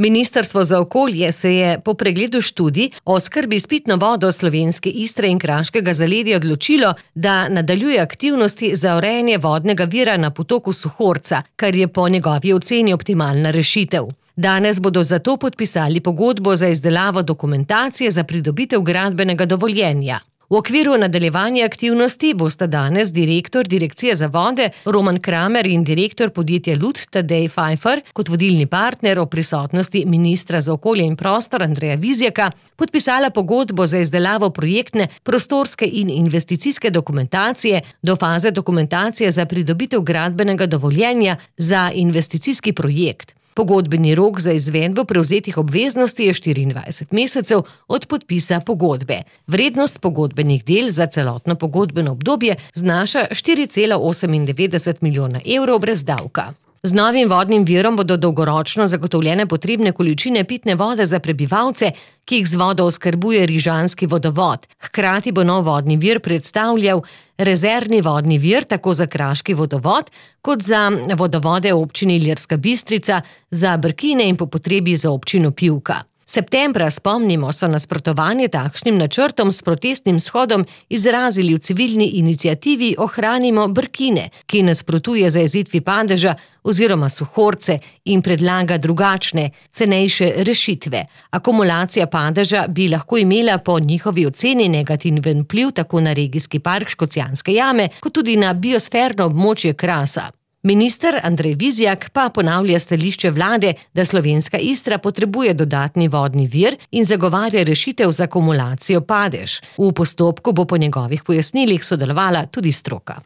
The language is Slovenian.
Ministrstvo za okolje se je po pregledu študij o oskrbi s pitno vodo slovenske Istre in Kraškega zaledja odločilo, da nadaljuje aktivnosti za urejanje vodnega vira na potoku Suhorca, kar je po njegovi oceni optimalna rešitev. Danes bodo zato podpisali pogodbo za izdelavo dokumentacije za pridobitev gradbenega dovoljenja. V okviru nadaljevanja aktivnosti bosta danes direktor Direkcije za vode Roman Kramer in direktor podjetja Lut Tadej Pfeiffer kot vodilni partner ob prisotnosti ministra za okolje in prostor Andreja Vizjaka podpisala pogodbo za izdelavo projektne, prostorske in investicijske dokumentacije do faze dokumentacije za pridobitev gradbenega dovoljenja za investicijski projekt. Pogodbeni rok za izvedbo prevzetih obveznosti je 24 mesecev od podpisa pogodbe. Vrednost pogodbenih del za celotno pogodbeno obdobje znaša 4,98 milijona evrov brez davka. Z novim vodnim virom bodo dolgoročno zagotovljene potrebne količine pitne vode za prebivalce, ki jih z vodo oskrbuje rižanski vodovod. Hkrati bo nov vodni vir predstavljal rezervni vodni vir tako za Kraški vodovod, kot za vodovode občine Ilirska Bistrica, za Brkine in po potrebi za občino Pivka. Septembra, spomnimo, so nasprotovanje takšnim načrtom s protestnim shodom izrazili v civilni iniciativi Ohranimo Brkine, ki nasprotuje zajezitvi padeža oziroma Suhorce in predlaga drugačne, cenejše rešitve. Akumulacija padeža bi lahko imela po njihovi oceni negativen vpliv tako na regijski park Škocjanske jame, kot tudi na biosferno območje Krasa. Minister Andrej Vizjak pa ponavlja stališče vlade, da slovenska Istra potrebuje dodatni vodni vir in zagovarja rešitev za akumulacijo padež. V postopku bo po njegovih pojasnilih sodelovala tudi stroka.